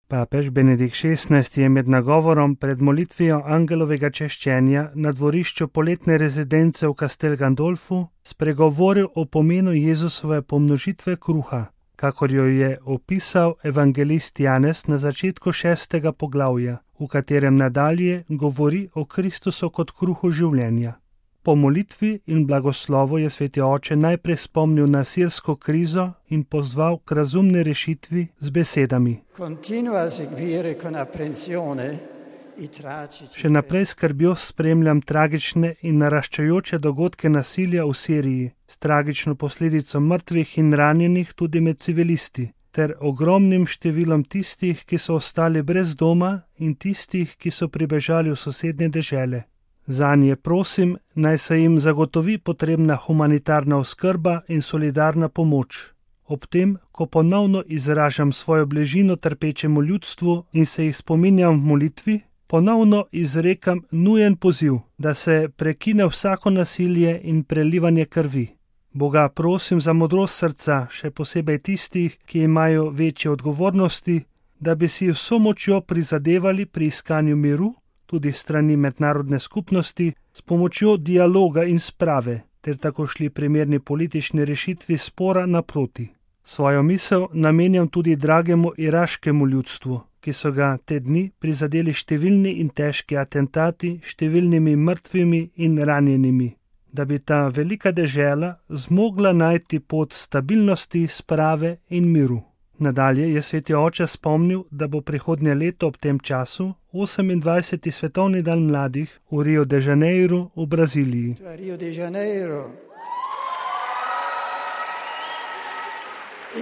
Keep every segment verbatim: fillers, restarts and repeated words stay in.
Papež Benedikt šestnajsti je med nagovorom pred molitvijo angelovega češčenja na dvorišču poletne rezidence v Castel Gandolfu spregovoril o pomenu Jezusove pomnožitve kruha, kakor jo je opisal evangelist Janez na začetku šestega poglavja, v katerem nadalje govori o Kristusu kot kruhu življenja. Po molitvi in blagoslovu je sveti oče najprej spomnil na sirsko krizo in pozval k razumni rešitvi z besedami. Še naprej skrbjo spremljam tragične in naraščajoče dogodke nasilja v Siriji, s tragično posledico mrtvih in ranjenih tudi med civilisti, ter ogromnim številom tistih, ki so ostali brez doma in tistih, ki so pribežali v sosednje dežele. Zanje prosim, naj se jim zagotovi potrebna humanitarna oskrba in solidarna pomoč. Ob tem, ko ponovno izražam svojo bližino trpečemu ljudstvu in se jih spominjam v molitvi, ponovno izrekam nujen poziv, da se prekine vsako nasilje in prelivanje krvi. Boga prosim za modrost srca, še posebej tistih, ki imajo večje odgovornosti, da bi si vso močjo prizadevali pri iskanju miru, tudi strani mednarodne skupnosti, s pomočjo dialoga in sprave, ter tako šli primerni politični rešitvi spora naproti. Svojo misel namenjam tudi dragemu iraškemu ljudstvu, ki so ga te dni prizadeli številni in težki atentati, številnimi mrtvimi in ranjenimi, da bi ta velika dežela zmogla najti pot stabilnosti, sprave in miru. Nadalje je sveti oče spomnil, da bo prihodnje leto ob tem času osemindvajseti svetovni dan mladih v Rio de Janeiro v Braziliji. Rio de Janeiro.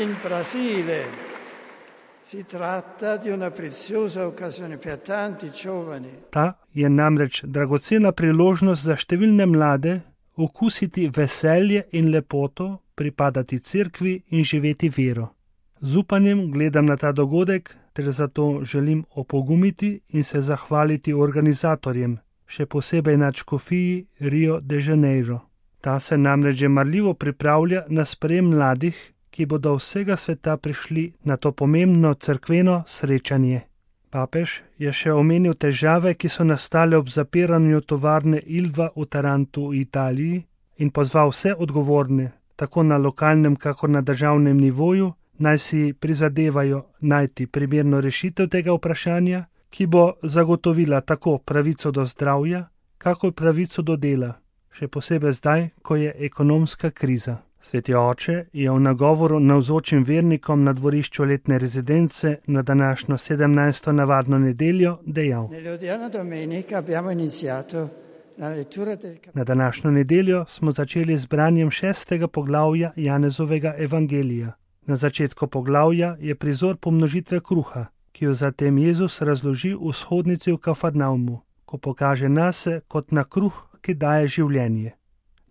In Brasile. Si tratta di una preziosa occasione per tanti giovani. Ta je namreč dragocena priložnost za številne mlade okusiti veselje in lepoto, pripadati cerkvi in živeti vero. Z upanjem gledam na ta dogodek, ter zato želim opogumiti in se zahvaliti organizatorjem, še posebej nadškofiji Rio de Janeiro. Ta se namreč že marljivo pripravlja na sprejem mladih, ki bodo vsega sveta prišli na to pomembno cerkveno srečanje. Papež je še omenil težave, ki so nastale ob zapiranju tovarne Ilva v Tarantu v Italiji in pozval vse odgovorne, tako na lokalnem kakor na državnem nivoju, naj si prizadevajo najti primerno rešitev tega vprašanja, ki bo zagotovila tako pravico do zdravja, kakor pravico do dela, še posebej zdaj, ko je ekonomska kriza. Sveti oče je v nagovoru navzočim vernikom na dvorišču letne rezidence na današnjo sedemnajsto navadno nedeljo dejal. Na današnjo nedeljo smo začeli z branjem šestega poglavja Janezovega evangelija. Na začetku poglavja je prizor pomnožitve kruha, ki jo zatem Jezus razloži v shodnici v Kafarnaumu, ko pokaže nase kot na kruh, ki daje življenje.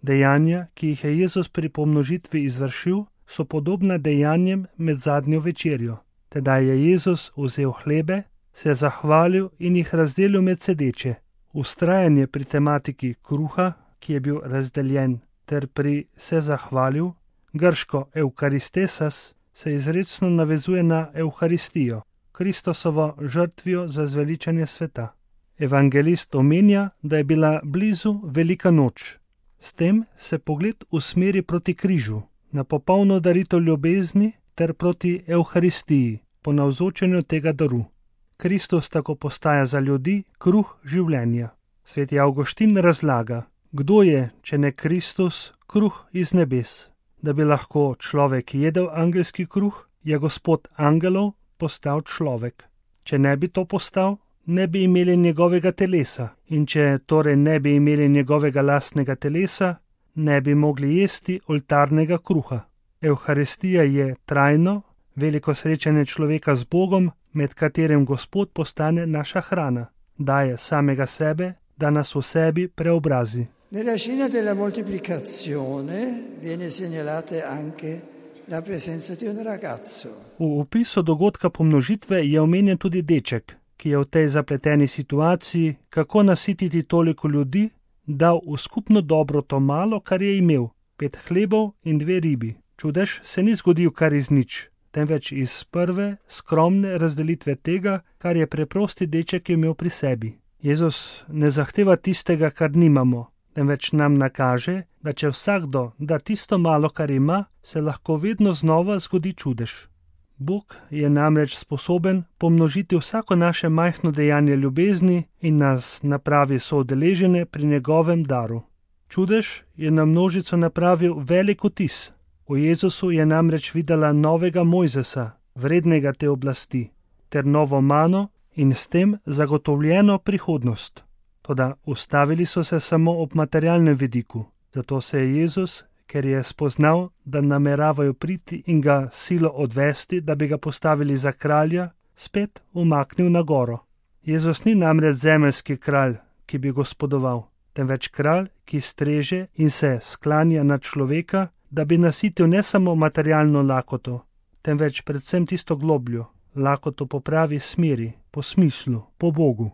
Dejanja, ki jih je Jezus pri pomnožitvi izvršil, so podobna dejanjem med zadnjo večerjo. Tedaj je Jezus vzel hlebe, se zahvalil in jih razdelil med sedeče. Vztrajanje pri tematiki kruha, ki je bil razdeljen, ter pri se zahvalil, grško eukaristesas, se izrecno navezuje na Evharistijo, Kristosovo žrtvijo za zveličanje sveta. Evangelist omenja, da je bila blizu velika noč. S tem se pogled usmeri proti križu, na popolno daritev ljubezni ter proti Evharistiji, po navzočenju tega daru. Kristus tako postaja za ljudi kruh življenja. Sveti Avguštin razlaga, kdo je, če ne Kristus, kruh iz nebes. Da bi lahko človek jedel angelski kruh, je Gospod angelov postal človek. Če ne bi to postal, ne bi imeli njegovega telesa, in če torej ne bi imeli njegovega lastnega telesa, ne bi mogli jesti oltarnega kruha. Evharistija je trajno, veliko srečanje človeka z Bogom, med katerim Gospod postane naša hrana, daje samega sebe, da nas v sebi preobrazi. Nella scena della moltiplicazione viene segnalata anche la presenza di un ragazzo. V opisu dogodka pomnožitve je omenjen tudi deček, ki je v tej zapleteni situaciji, kako nasititi toliko ljudi, dal v skupno dobro to malo, kar je imel, pet hlebov in dve ribi. Čudež se ni zgodil kar iz nič. temveč iz prve, skromne razdelitve tega, kar je preprosti deček imel pri sebi. Jezus ne zahteva tistega, kar nimamo, temveč nam nakaže, da če vsakdo da tisto malo, kar ima, se lahko vedno znova zgodi čudež. Bog je namreč sposoben pomnožiti vsako naše majhno dejanje ljubezni in nas napravi soudeležene pri njegovem daru. Čudež je na množico napravil velik vtis. V Jezusu je namreč videla novega Mojzesa, vrednega te oblasti, ter novo mano in s tem zagotovljeno prihodnost. Toda ustavili so se samo ob materialnem vidiku, zato se je Jezus, ker je spoznal, da nameravajo priti in ga silo odvesti, da bi ga postavili za kralja, spet umaknil na goro. Jezus ni namreč zemeljski kralj, ki bi gospodoval, temveč kralj, ki streže in se sklanja nad človeka, da bi nasitil ne samo materialno lakoto, temveč predvsem tisto globljo, lakoto po pravi smeri, po smislu, po Bogu.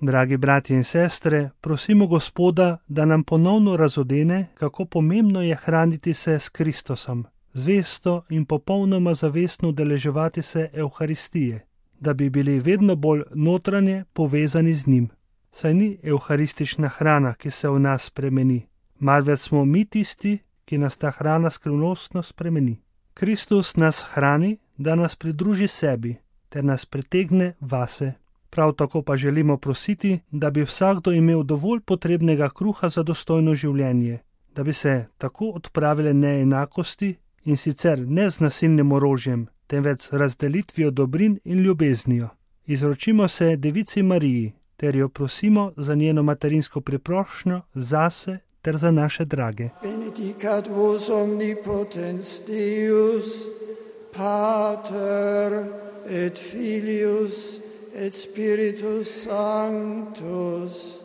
Dragi bratje in sestre, prosimo Gospoda, da nam ponovno razodene, kako pomembno je hraniti se s Kristosom, zvesto in popolnoma zavestno udeleževati se Evharistije, da bi bili vedno bolj notranje povezani z njim. Saj ni evharistična hrana, ki se v nas spremeni, marveč smo mi tisti, ki nas ta hrana skrivnostno spremeni. Kristus nas hrani, da nas pridruži sebi, ter nas pritegne vase. Prav tako pa želimo prositi, da bi vsakdo imel dovolj potrebnega kruha za dostojno življenje, da bi se tako odpravile neenakosti in sicer ne z nasilnim orožjem, temveč z razdelitvijo dobrin in ljubeznijo. Izročimo se Devici Mariji, ter jo prosimo za njeno materinsko priprošnjo zase ter za naše drage. Benedicat vos omnipotens Deus, Pater et Filius et Spiritus Sanctus.